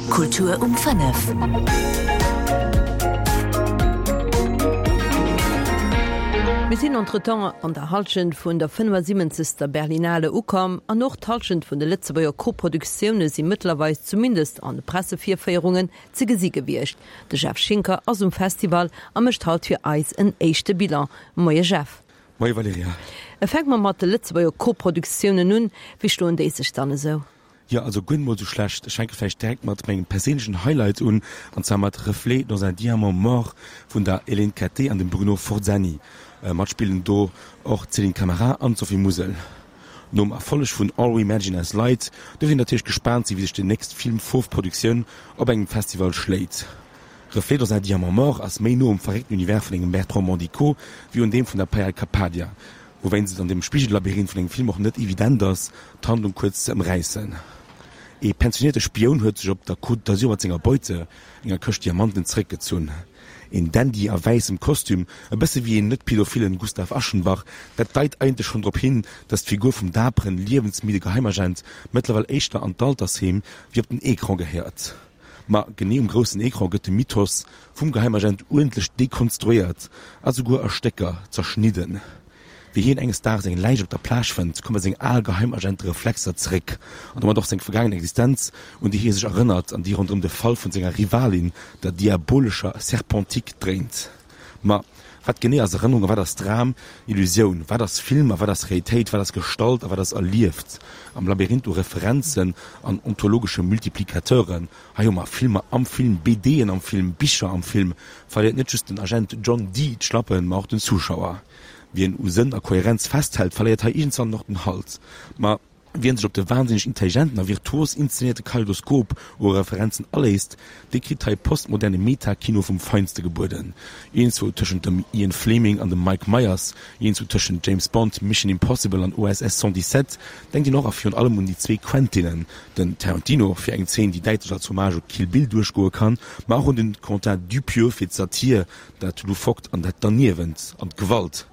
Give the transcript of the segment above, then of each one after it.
Kultur um 5. Mir sinn entretemps an der Hallschent vun der 75. Berlinale ukomm an och d'Hallschent vun de Lëtzebuerger Koproduktioune si mëttlerweis zumindest an de Pressevirféierungen ze gesi gewiescht. De Jeff Schinker ass um Festival a mécht haut fir eis en éischte Bilan. Moie Jeff. Moie Valerija. Fänke mer mat de Lëtzebuerger Koproduktiounen un. Wéi schloen déi sech dann esou? Jo, also guer net mol sou schlecht. Ech fänke vläicht direkt mat mengem perséinlechen Highlight un, an zwar mat Reflets dans un diamant mort vun der Hélène Cattet an dem Bruno Forzani. Matspillen do och d'Céline Camara an d'Sophie Musel. Nom Erfolleg vun All We Imagine As Light duerf een natierlech gespaant sinn, wéi sech déi nächst Film-Fauve-Produktioun op engem Festival schléit. Reflets dans un diamant mort ass méi no um verréckten Univers vun engem Bertrand Mandico wéi un deem vun der Payal Kapadia, wouwéinst et an dem Spigel-Labyrinth vun engem Film och net evident ass, d'Handlung kuerz ze ëmräissen. Ee pensionierte Spioun huet sech op der Côte d'Azur mat senger Beute, enger Këscht Diamanten, zeréckgezunn. Een Dandy a wäissem Kostüm, e bësse wéi een net-pädophillen Gustav Aschenbach, dat deit eigentlech schonn drop hin, datt d'Figur vum daperen, liewensmidde Geheimagent mëttlerweil éischter an d'Altersheem wéi op den Ecran gehéiert. Ma genee um groussen Ecran gëtt de Mythos vum Geheimagent uerdentlech dekonstruéiert a souguer a Stécker zerschnidden. Wéi hien enges Daags eng Läich op der Plage fënnt, komme seng al Geheimagentereflexer zeréck an domat och seng vergaangen Existenz, un déi hie sech erënnert an déi ronderëm de Fall vun senger Rivalin, der diabolescher Serpentique, dréint. Ma wat genee ass Erënnerung a wat ass Dram, Illusioun? Wat ass Film a wat ass Realitéit? Wat ass Gestalt a wat ass erlieft? Am Labyrinth u Referenzen an ontologesche Multiplicateuren, hei hu mer Filmer am Film, BDen am Film, Bicher am Film, verléiert net just den Agent John Dee d'Schlappen, ma och den Zuschauer. Wien u Sënn a Kohärenz festhält, verléiert hei iergendswann och den Halt. Ma wien sech op de wahnsinneg intelligenten a virtuos inszenéierte Kaleidoskop u Referenzen aléisst, dee kritt hei postmoderne Meta-Kino vum Feinste gebueden. Iergendzwou tëschent dem Ian Fleming an dem Mike Myers, iergendzwou tëschent James Bond, Mission Impossible an OSS 117 denkt een och a virun allem un déi zwee Quentinen, den Tarantino fir eng Zeen, déi däitlech als Hommage u Kill Bill duerchgoe kann, ma och un den Quentin Dupieux fir d'Satir, dat Loufoqued an dat Derniewent an d'Gewalt.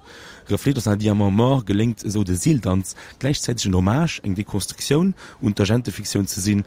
Reflets dans un diamant mort geléngt esou de Seeldanz, gläichzäiteg en Hommage, eng Dekonstruktioun un d'Agentefiktioun ze sinn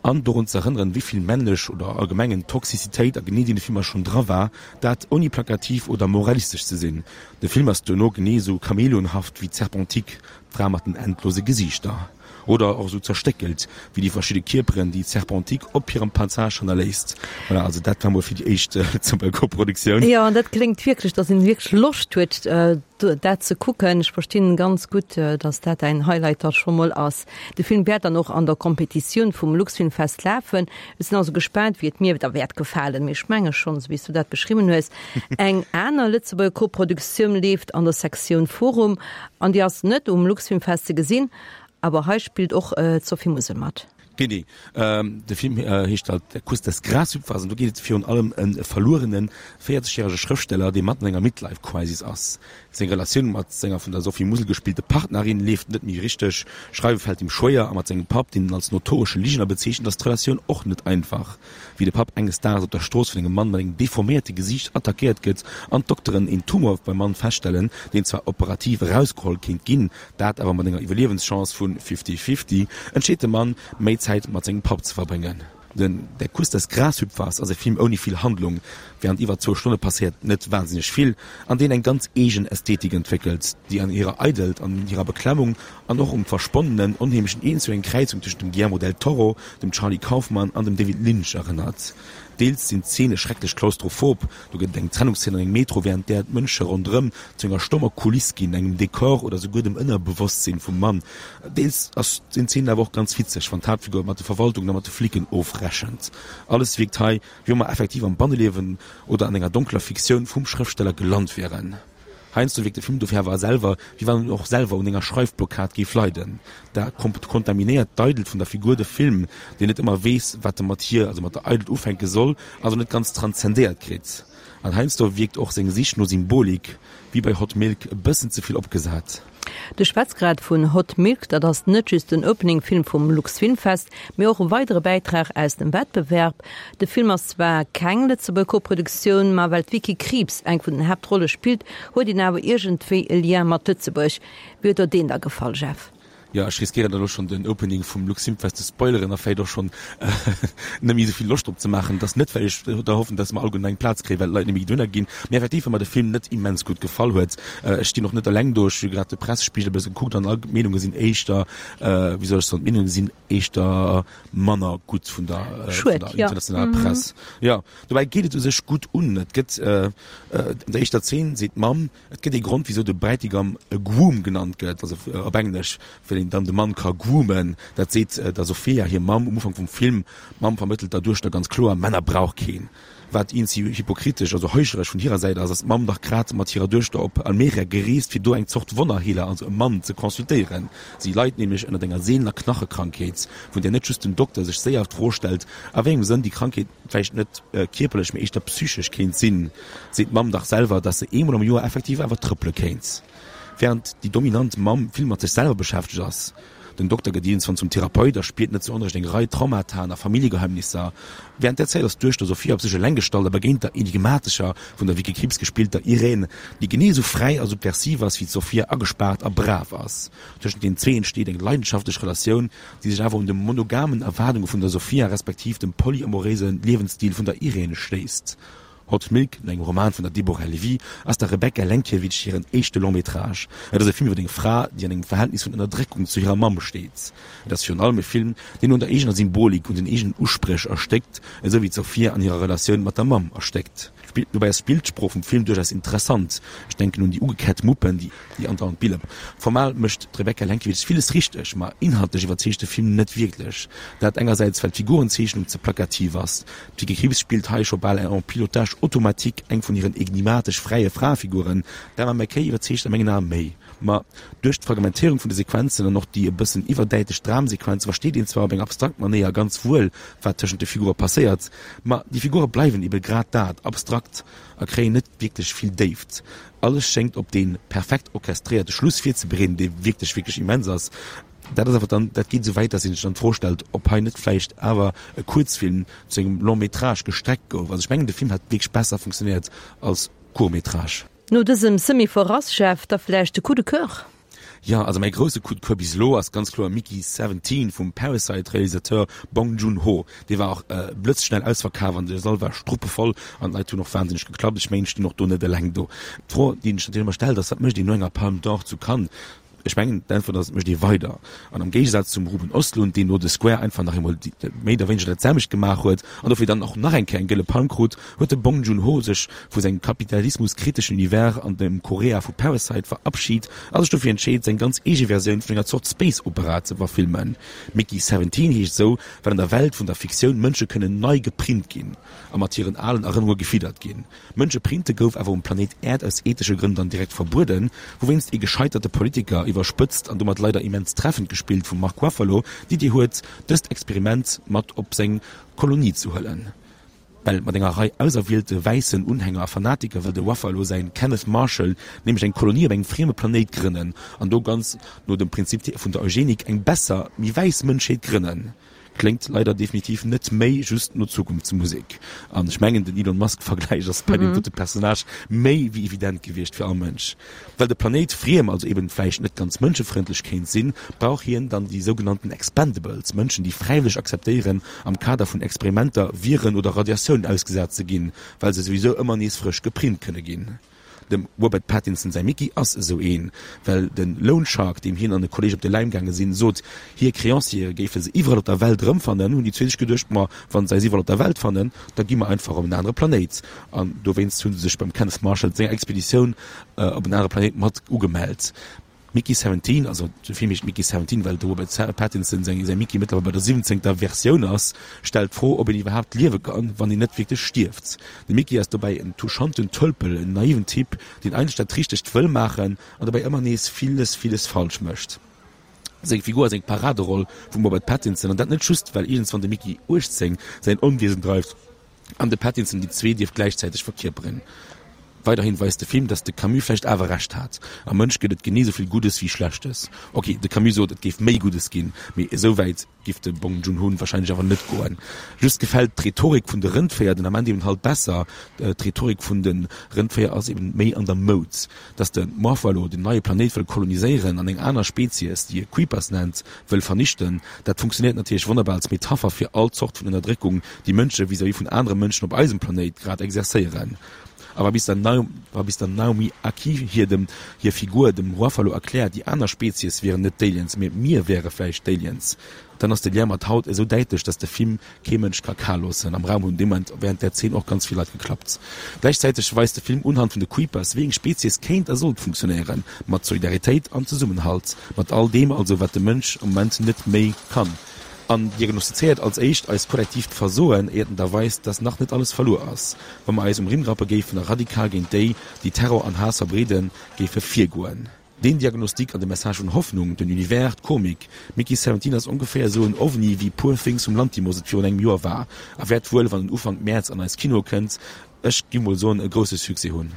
an dorun ze erënneren, wéi vill männlech oder allgemengen Toxicitéit a genee deene Filmer schonn dra war, dat ouni plakativ oder moralistesch ze sinn. De Film ass duerno genee esou chameleonhaft wéi d'Serpentique, d'Fra mat den endlose Gesiichter. Oder och esou zerstéckelt wéi déi verschidde Kierperen, déi d'Serpentique op hirem Passage hannerléisst. Voilà, also dat war mol fir déi éischt Lëtzebuerger Koproduktioun. Jo, an dat kléngt wierklech, dass een wierklech Loscht huet, dat ze kucken. Ech verstinn ganz gutt, dass dat däin Highlight da scho mol ass. De Film wäert dann och an der Competitioun vum Luxfilmfest lafen. Ech sinn also gespaant, wéi et mir da wäert gefalen. Mee ech menge schonn, esou wéi s du dat beschriwwen hues. Eng aner Lëtzebuerger Koproduktioun leeft an der Sektioun Forum an déi ass net um Luxfilmfest ze gesinn. Awer hei spillt och d'Sophie Musel mat. Genee. De Film heescht halt Der Kuss des Grashüpfers an do geet et virun allem ëm e verluerene 40 järege Schrëftsteller, dee matten an enger Midlife Crisis ass. Seng Relatioun mat senger vun der Sophie Musel gespillte Partnerin leeft net méi richteg, Schreiwe fält him schwéier a mat sengem Papp, deen en als notoresche Ligener bezeechent, ass d'Relatioun och net einfach. Wéi de Papp enges Daags op der Strooss vun engem Mann mat engem deforméierte Gesiicht attackéiert gëtt an d'Dokteren een Tumor beim Mann feststellen, deen zwar operativ erausgeholl kéint ginn, dat awer mat enger Iwwerliewenschance vu fifty-fifty, entscheet de Mann, méi Zäit mat sengem Papp ze verbréngen. Den Der Kuss des Grashüpfers ass e Film ouni vill Handlung, wärend iwwer zwou Stonne passéiert net wahnsinneg vill, an deen eng ganz eegen Ästhetik entwéckelt, déi an hirer Eidelt, an hirer Beklemmung an och um versponnenen, onheemlechen Een zu eng Kräizung tëschent dem Guillermo del Toro, dem Charlie Kaufman an dem David Lynch erënnert. Deels sinn d'Zeene schrecklech klaustrophob, do gëtt et eng Trennungszeen an engem Metro, wärend där d'Mënsche ronderëm zu enger stommer Kuliss ginn, engem Dekor oder souguer dem Ënnerbewosstsinn vum Mann. Deels ass sinn d'Zeenen awer och ganz witzeg, wann d'Haaptfigur mat de Verwaltungen a mat de Flicken ofrechent. Alles wierkt hei, wéi wa mer effektiv am Banneliewen oder an enger donkeler Fiktioun vum Schrëftsteller gelant wieren. Heiansdo wierkt de Film dofir awer selwer, wéi wann en och selwer un enger Schreifblockad géif leiden. Da kontaminéiert d'Eidelt vun der Figur de Film, deen net ëmmer weess, wat e mat hir, also mat der Eidelt ufänke soll, also net ganz transzendéiert kritt. An heiansdo wierkt och seng Sich no Symbolik, wéi bei Hot Milk, e bëssen ze vill opgesat. Du schwätz grad vun Hot Milk, dat ass net just den Opening-Film vum Luxfilmfest, mee och e weidere Bäitrag aus dem Wettbewerb. De Film ass zwar keng Lëtzebuerger Koproduktioun, ma well d'Vicky Krieps eng vun den Haaptrolle spillt, huet een awer iergendwéi e Lien mat Lëtzebuerg. Wéi huet der deen da gefall, Jeff? Jo, ech riskéieren elo schonn den Opening vum Luxfilmfest ze spoileren a vläicht och schonn net méi esou vill Loscht drop ze maachen. Et ass net, well ech da hoffen, dass mer alleguerten eng Plaz kréien, well d'Leit net méi dohinner ginn, mee effektiv, well mer de Film net immens gutt gefall huet. Ech stinn och net eleng do, ech hu grad de Pressespigel e bësse gekuckt an all d'Meenunge sinn éischter, wéi soll ech soen, d'Meenunge sinn éischter manner gutt vun der internationaler Press. Jo, dobäi geet et u sech gutt un. Et gëtt an der éischter Zeen seet d'Mamm, Et gëtt ee Grond, wisou de Bräitigam e Groom genannt gëtt, also op Englesch, well een dann de Mann ka groomen. Dat seet der Sofia hir Mamm um Ufank vum Film. D'Mamm vermëttelt der Duechter ganz kloer, Männer brauch keen. Wat eenzi hypokritesch, also heuchleresch vun hirer Säit ass, ass d'Mamm dach grad mat hirer Duechter op Almeria gereest, fir do eng Zort Wonnerheeler, also e Mann, ze consultéieren. Si leit nämlech ënnert enger seelener Knachekrankheet, vun där net just den Dokter sech séier d'Fro stellt, a wéi engem Sënn déi Krankheet vläicht net kierperlech, mee éischter psychesch kéint sinn. Seet d'Mamm dach selwer, dass se eemol am Joer effektiv awer trëppele kéint. Während déi dominant Mamm vill mat sech selwer beschäftegt ass. Den Dokter gëtt iergendswann zum Therapeut a spiert net zu Onrecht eng Rei Traumataen a Familljegeheimnisser. Während där Zäit ass d'Duechter Sophia op sech eleng gestallt a begéint der enigmatescher, vun der Vicky Krieps gespillter Irène, déi genee esou fräi a subversiv ass wéi d'Sophia agespaart a brav ass. Tëschent den zwee entsteet eng leidenschaftlech Relatioun, déi sech awer un de monogamen Erwaardunge vun der Sophia respektiv dem polyamoréise Liewensstil vun der Irène schléisst. Hot Milk, no engem Roman vun der Deborah Levy, ass der Rebecca Lenkiewicz hiren éischte Long-métrage. Et ass e Film iwwer eng Fra, déi an engem Verhältnis vun Ënnerdréckung zu hirer Mamm steet. Et ass virun allem e Film, deen un der eegener Symbolik, un den eegenen Uspréch erstéckt, esou wéi d'Sophia an hirer Relatioun mat der Mamm erstéckt. Dobäi ass d'Bildsprooch vum Film duerchaus interessant, ech denken un déi ugekett Muppen, déi. Déi andauernd Bille. Formal mécht d'Rebecca Lenkiewicz villes richteg, ma inhaltlech iwwerzeegt de Film net wierklech. Dat engersäits well d'Figurenzeechnung ze plakativ ass. D'Vicky Krieps spillt hei scho bal en pilotage automatique eng vun hiren enigmatesch fräie Fraefiguren. D'Emma Mackey iwwerzeegt a mengen Ae méi. Ma duerch d'Fragmentéierung vun de Sequenzen an och déi e bëssen iwwerdäitlech Dramsequenze versteet een zwar op eng abstrakt Manéier ganz wuel, wat tëschent de Figure passéiert, ma déi Figure bleiwen ebe grad dat, abstrakt a kréien net wierklech vill Déift. Alles schéngt op dee perfekt orchestréierte Schluss virzebereeden, dee wierklech, wierklech immens ass. Dat ass awer dann, dat geet esou wäit, dass ee sech dann d'Fro stellt, ob hei net vläicht awer e Kuerzfilm zu engem Long-métrage gestreckt gouf. Also ech mengen, de Film hätt wierklech besser funktionéiert als Court-métrage. No dësem Semi-Verrass, Jeff, da vläicht de Coup de Coeur? Jo, also mäi grousse Coup de coeur bis elo ass ganz kloer Mickey 17 vum Parasite Realisateur Bong Joon Ho. Dee war och blëtzschnell ausverkaf an de Sall war struppevoll an d'Leit hunn och wahnsinneg geklappt. Ech mengen, ech stinn och do net eleng do. D'Fro, déi een sech natierlech ëmmer stellt, ass, wat mécht een no enger Palme d'Or zu Cannes? Ech mengen, d'Äntwert ass, et mécht ee weider. An am Géigesaz zum Ruben Ostlund, deen no The Square einfach nach eemol méi oder wéineger dat selwecht gemaach huet an dofir dann och nach eng Kéier eng gëlle Palm krut, huet de Bong Joon-ho sech vu sengem kapitalismuskriteschen Univers an dem Korea vu Parasite verabschid a sech dofir entscheet, seng ganz eege Versioun vun enger Zort Space Opera ze verfilmen. Mickey 17 heescht esou, well an der Welt vun der Fiktioun Mënsche kënnen nei geprint ginn a mat hiren alen Erënnerunge gefiddert ginn. Mënsche printe gouf awer um Planéit Äerd aus ethesche Grënn dann direkt verbueden, wouwéinst ee gescheiterte Politiker, iwwerspëtzt an domat leider immens treffend gespillt vum Mark Ruffalo, d'Idee huet, dëst Experiment mat op seng Kolonie ze huelen. Well mat enger Rei auserwielte wäissen Unhänger a Fanatiker wëll de Ruffalo säin Kenneth Marshall nämlech eng Kolonie op engem frieme Planéit grënnen an do ganz no dem Prinzip vun der Eugenik eng besser, méi wäiss Mënschheet grënnen. Kléngt leider definitiv net méi just no Zukunftsmusek. An ech mengen den Elon Musk Vergläich ass bei deem dote Personnage méi wéi evident gewiescht fir all Mënsch. Well de Planéit friem, also eben vläicht net ganz mënschefrëndlech kéint sinn, brauch hien dann déi sougenannten Expendables, Mënschen déi fräiwëlleg akzeptéieren am Kader vun Experimenter Viren oder Radiatiounen ausgesat ze ginn, well se souwisou ëmmer nees frësch geprint kënne ginn. Dem Robert Pattinson säi Mickey ass esou een, well de Loan Shark, deem hien an e Kolleeg op de Läim gaange sinn, sot, hir Creanciere géife se iwwerall op der Welt erëmfannen, hunn déi zwee sech geduecht, ma wa se eis iwwerall op der Welt fannen, da gi mer einfach op en anere Planéit. An dowéinst hu se sech beim Kenneth Marshall senger Expeditioun op en anere Planéit mat ugemellt. Mickey 17, also de Film heescht Mickey 17, well de Robert Pattinson säi Mickey mëttlerweil bei der siwwenzéngter Versioun ass, stellt d'Fro, ob een iwwerhaapt liewe kann, wann een net wierklech stierft. De Mickey ass dobäi en touchanten Tölpel, en naiven Typ, deen eigentlech dat Richtegt wëll maachen an dobäi ëmmer nees villes, villes falsch mécht. Seng Figur ass eng Paraderoll vum Robert Pattinson, an dat net just, well iergendswann de Mickey 18 säin Onwiesen dreift an de Pattinson déi zwee dierf gläichzäiteg verkierperen. Weiderhin weist de Film, dass de Camus vläicht awer Recht hat, Am Mënsch gëtt et genee esou vill Guddes wéi Schlechtes. Ok, de Camus sot, et géif méi Guddes ginn, mee esou wäit giff de Bong Joon-ho wahrscheinlech awer net goen. Just gefält d'Rhetorik vun de Rëndvéier den Ament eben halt besser. D'Rhetorik vun de Rëndvéier ass eben méi an der Moud. Dass de Morphallo den neie Planéit wëll koloniséieren an eng aner Spezies, déi e Creepers nennt, wëll vernichten, dat funktionéiert natierlech wonnerbar als Metapher fir all Zort vun Ënnerdréckung, déi Mënsche vis-à-vis vun anere Mënschen op eisem Planéit grad exerzéieren. A wa bis der wa bis der Naomi Ackie hir dem hir Figur dem Ruffalo erkläert, déi aner Spezies wieren net d'Aliens, mee mir wäre vläicht d'Aliens, dann ass de Lien mat haut esou däitlech, dass de Film kee Mënsch ka kal loossen. Am Raum hunn dee Moment während där Zeen och ganz vill Leit geklappt. Gläichzäiteg weist de Film unhand vun de Creepers, wéi eng Spezies kéint a sollt funktionéieren, mat Solidaritéit an Zesummenhalt, mat all deem also, wat de Mënsch am Moment net méi kann. An diagnostizéiert als éischt eist kollektiivt Versoen, éiert en da weist, dass nach net alles verluer ass, wa mer eis um Rimm rappe géifen a radikal géint déi, déi Terror an Haass verbreeden, géife virgoen. Deen Diagnostic an de Message vun Hoffnung, den Univers, d'Komik, Mickey 17 ass ongeféier esou en Ovni wéi Poor Things vum Lanthimos et virun engem Joer war a wäert wuel, wann en Ufank Mäerz an eis Kinoe kënnt, ech gi mol soen, e grousse Succès hunn.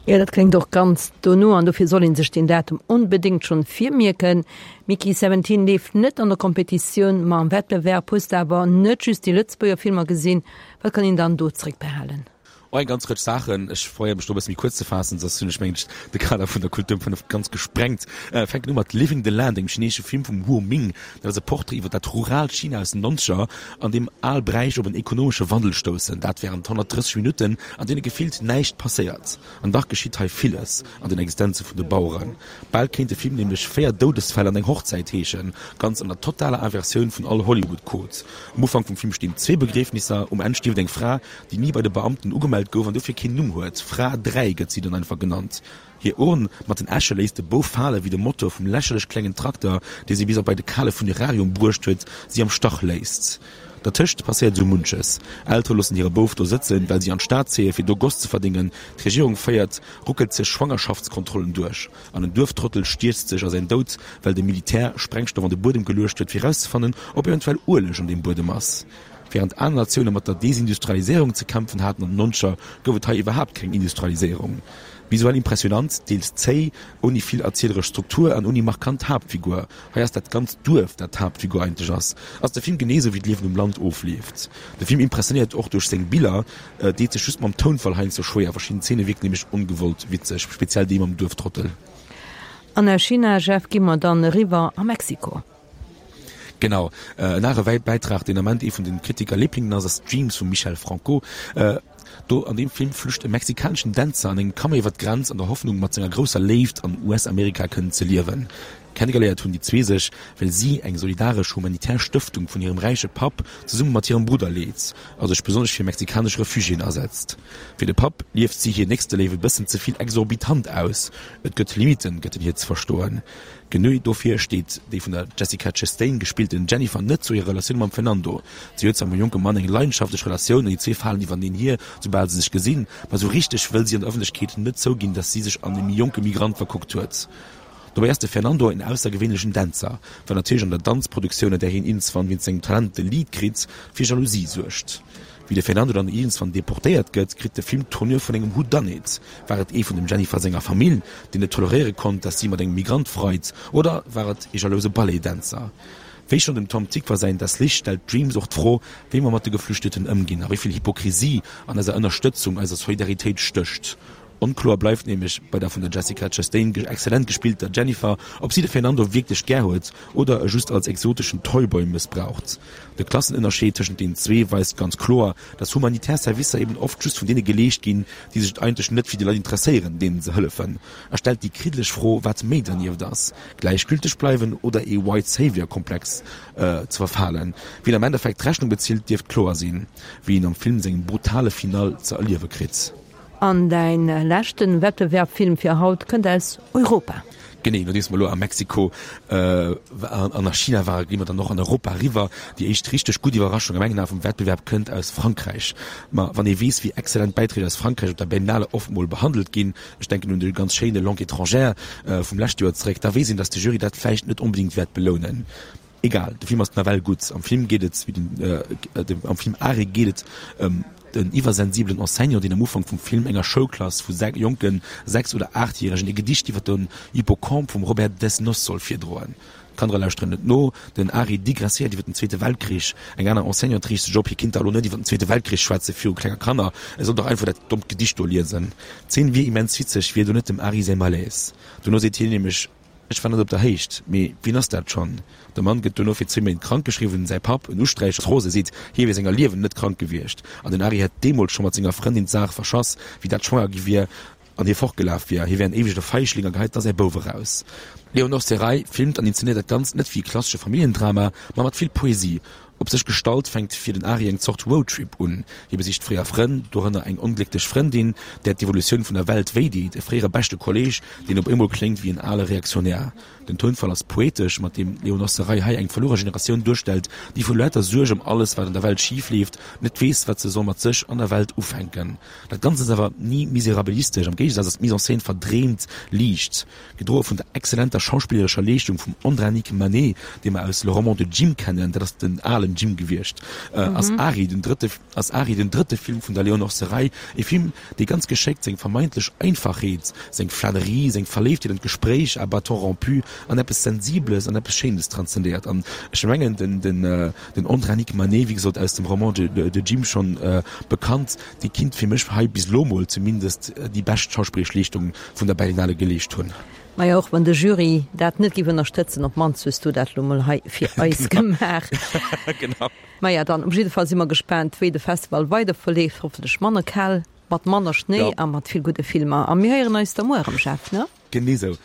Jo, dat kléngt och ganz dono an dofir soll een sech deen Datum onbedéngt schonn virmierken. Mickey 17 leeft net an der Kompetitioun, ma am Wettbewerb. Hues de awer net just déi Lëtzebuerger Filmer gesinn? Wat kann een dann do zréckbehalen? Och eng ganz Rëtsch Saachen. Ech probéiere mech do e bësse méi kuerz ze faassen, soss hunn ech mengen ech de Kader vun der Kultur um 5 ganz gesprengt. Fänken u mat Living the Land, engem chineesesche Film vum Huo Ming. Dat ass e Portrait iwwer dat ruraalt China aus den Nonzeger, an deem al Bräich op en ekonomesche Wandel stoussen. Dat wärend 130 Minutten, an deene gefillt näischt passéiert. An dach geschitt hei villes an den Existenze vun de Baueren. Bal kéint de Film nämlech Véier Doudesfäll an eng Hochzäit heeschen, ganz an der totaler Inversioun vun all Hollywood-Code. Um Ufank vum Film stinn zwee Begriefnisser, um Enn stierft eng Fra, déi ni bei de Beamten ugemellt gouf an dofir keen Numm huet. Fra 3 gëtt si dann einfach genannt. Hir Urn mat den Äsche léisst de Bouf fale wéi de Motor vum lächerlech klengen Trakter, dee si bis op bei de kale Funerarium bruecht huet, si am Stach léisst. Dertëscht passéiert esou munches. Eltere loossen hire Bouf do sëtzen, well si an d'Stad zéie fir do Goss ze verdéngen, d'Regierung féiert ruckelzeg Schwangerschaftskontrollen duerch an en Duerftrottel stierzt sech a säin Doud, well de Militär Sprengstoff an de Buedem geluecht huet fir erauszefannen, ob eventuell Ueleg an deem Buedem ass. Während aner Natioune mat der Desindustrialiséierung ze kämpfen haten an den Nonzeger, gouf et hei iwwerhaapt keng Industrialiséierung. Visuell impressionant, deels zéi, ouni vill erzieleresch Struktur an ouni markant Haaptfigur, hei ass dat ganzt Duerf dat d'Haaptfigur eigentlech ass, ass de Film genee sou wéi d'Liewen um Land ofleeft. De Film impressionéiert och duerch seng Biller, deet sech just mam Tounfall heiansdo schwéier, verschidden Zeene wierken nämlech ongewollt witzeg, speziell déi mam Duerftrottel. An aus China, Jeff, gi mer dann eriwwer a Mexiko. Genau, en anere Bäitrag, deen Ament ee vun den Kritiker-Liblingen ass, ass Dreams vum Michel Franco. Do an deem Film flücht e mexikaneschen Dänzer an engem Camion iwwer d'Grenz an der Hoffnung, mat senger grousser Léift an US-Amerika kënnen ze liewen. Kennegeléiert hunn déi zwee sech, well si eng solidaresch humanitär Stëftung vun hirem räiche Papp zesumme mat hirem Brudder leet a sech besonnesch fir mexikanesch Refugiéen asetzt. Fir de Papp lieft si hir Nächsteléift e bëssen ze vill exorbitant aus, et gëtt Limitten, gëtt en hir ze verstoen. Genee dofir steet déi vun der Jessica Chastain gespillten Jennifer net zu hirer Relatioun mam Fernando. Si huet zwar mam jonke Mann eng leidenschaftlech Relatioun an déi zwee falen iwwerneen hier, soubal se sech gesinn, ma sou richteg wëll si an der Ëffentlechkeet net zouginn, dass si sech an e méi jonke Migrant verkuckt huet. Dobäi ass de Fernando en aussergewéinlechen Dänzer, wat natierlech an der Danzproduktioun, an där hien iergendswann wéinst sengem Talent de Lead kritt, fir Jalousie suergt. Wéi de Fernando dann iergendswann deportéiert gëtt, kritt de Film d'Tournure vun engem Whodunit. War et ee vun dem Jennifer senger Famill, deen net toleréiere konnt, dass si mat engem Migrant freit, oder war et ee jalouse Balletdänzer? Wéi schonn dem Tom Tykwer säin Das Licht stellt Dreams och d'Fro, wéi mer mat de Geflüchteten ëmginn a wéi vill Hypokrisie an eiser Ënnerstëtzung, eiser Solidaritéit stécht. Onkloer bleift nämlech bei der vun der Jessica Chastain exzellent gespillter Jennifer, ob si de Fernando wierklech gär huet oder e just als exoteschen Toyboy mëssbraucht. De Klassenënnerscheed tëschent den zwee weist ganz kloer, dass humanitär Servicer eben oft just vun deene geleescht ginn, déi sech eigentlech net fir déi Leit interesséieren, deenen se hëllefen, a stellt déi kriddeleg Fro, wat méi dernieft ass, gläichgülteg bleiwen oder ee White Savior-Komplex ze verfalen. Wien am Endeffekt d'Rechnung bezilt, dierft kloer sinn, wéi een am Film sengem brutale Finale ze erliewe kritt. An däin leschten Wettbewerbfilm fir haut kënnt aus Europa. Genee, nodeems mer elo a Mexiko an a China waren, gi mer dann och an Europa eriwwer. Déi éischt richteg gutt Iwwerraschung a mengen Ae vum Wettbewerb kënnt aus Frankräich. Ma wann ee weess, wéi exzellent Bäiträg aus Frankräich op der Berlinale oft mol behandelt ginn, ech denken un de ganz schéine Langue étrangère vum leschte Joer zeréck, da weess een, datt de Jury dat vläicht net onbedéngt wäert belounen. Egal, de Film ass nawell gutt. Am Film geet et, wéi den, am Film Are geet et ëm. en iwwersensibelen Enseignant, deen am Ufank vum Film enger Schoulklass vu jonke sechs oder aachtjäregen e Gedicht iwwer den Hippocampe vum Robert Desnos soll virdroen. D'Kandere lauschteren net no. Den Ari digresséiert iwwer den Zweete Weltkrich. Eng aner Enseignante riicht sech op, hie kinnt da elo net iwwer den Zweete Weltkrich schwätze viru klenge Kanner, e soll dach einfach dat dommt Gedicht do liesen. D'Zeen wier immens witzeg, wier do net dem Ari säi Malaise. Dono seet hien nämlech, Ech war net op der Héicht, mee wien ass dat schonn? De Mann gëtt dono fir zwéi Méint krank geschriwwen. Säi Papp, en Usträicher ass rose, seet, hie wier senger Liewen net krank gewiescht. An den Ari hätt deemools scho mat senger Frëndin d'Saach verschass, wéi dat schwanger gi wier an hie fortgelaf wier. Hie wär en éiwege Feichling a geheit da säi Bouf eraus. D'Léonore Serraille filmt an inzenéiert dat Ganzt net wéi e klassesche Familljendrama, ma mat vill Poesie. Op sech gestallt fänkt fir den Ari eng Zort Roadtrip un. Hie besicht fréier Frënn, dorënner eng onglécklech Frëndin, där d'Evolutioun vun der Welt wéideet, e fréiere beschte Kolleeg, deen op eemol kléngt wéi en ale Reaktionär. Den Tounfall ass poetesch, mat deem d'Léonore Serraille hei eng verluere Generatioun duerstellt, déi vu lauter Suerg ëm alles, wat an der Welt schif leeft, net weess, wat se soll mat sech an der Welt ufänken. Dat Ganzt ass awer ni miserabilistesch, am Géigesaz ass d'Mise en scène verdreemt liicht. Gedroe vun der exzellenter schauspillerescher Leeschtung vum Andranik Manet, dee mer aus Le roman de Jim kennen, dat ass den alen Jim gewiescht, ass Ari den drëtte ass Ari den drëtte Film vun der Léonore Serraille, e Film, dee ganz geschéckt seng vermeintlech Einfachheet, seng Flanerie, seng Verléiftheet an d'Gespréich à bâtons rompus an eppes Sensibles an eppes Schéines transzendéiert. An ech mengen, den den Andranik Manet, wéi gesot aus dem Roman de Jim schonn bekannt, dee kinnt fir mech hei bis elo mol zumindest déi bescht schauspilleresch Leeschtung vun der Berlinale geleescht hunn. Majo, och wann de Jury dat net géif ënnerstëtzen, op d'mannst hues du dat lo mol hei fir eis gemaach. Genau. Maja, dann op jidde Fall si mer gespaant, wéi de Festival weider verleeft, hoffentlech manner kal, mat manner Schnéi a mat vill gudde Filmer. A mir héieren eis da muer erëm, Jeff, ne? Genee sou.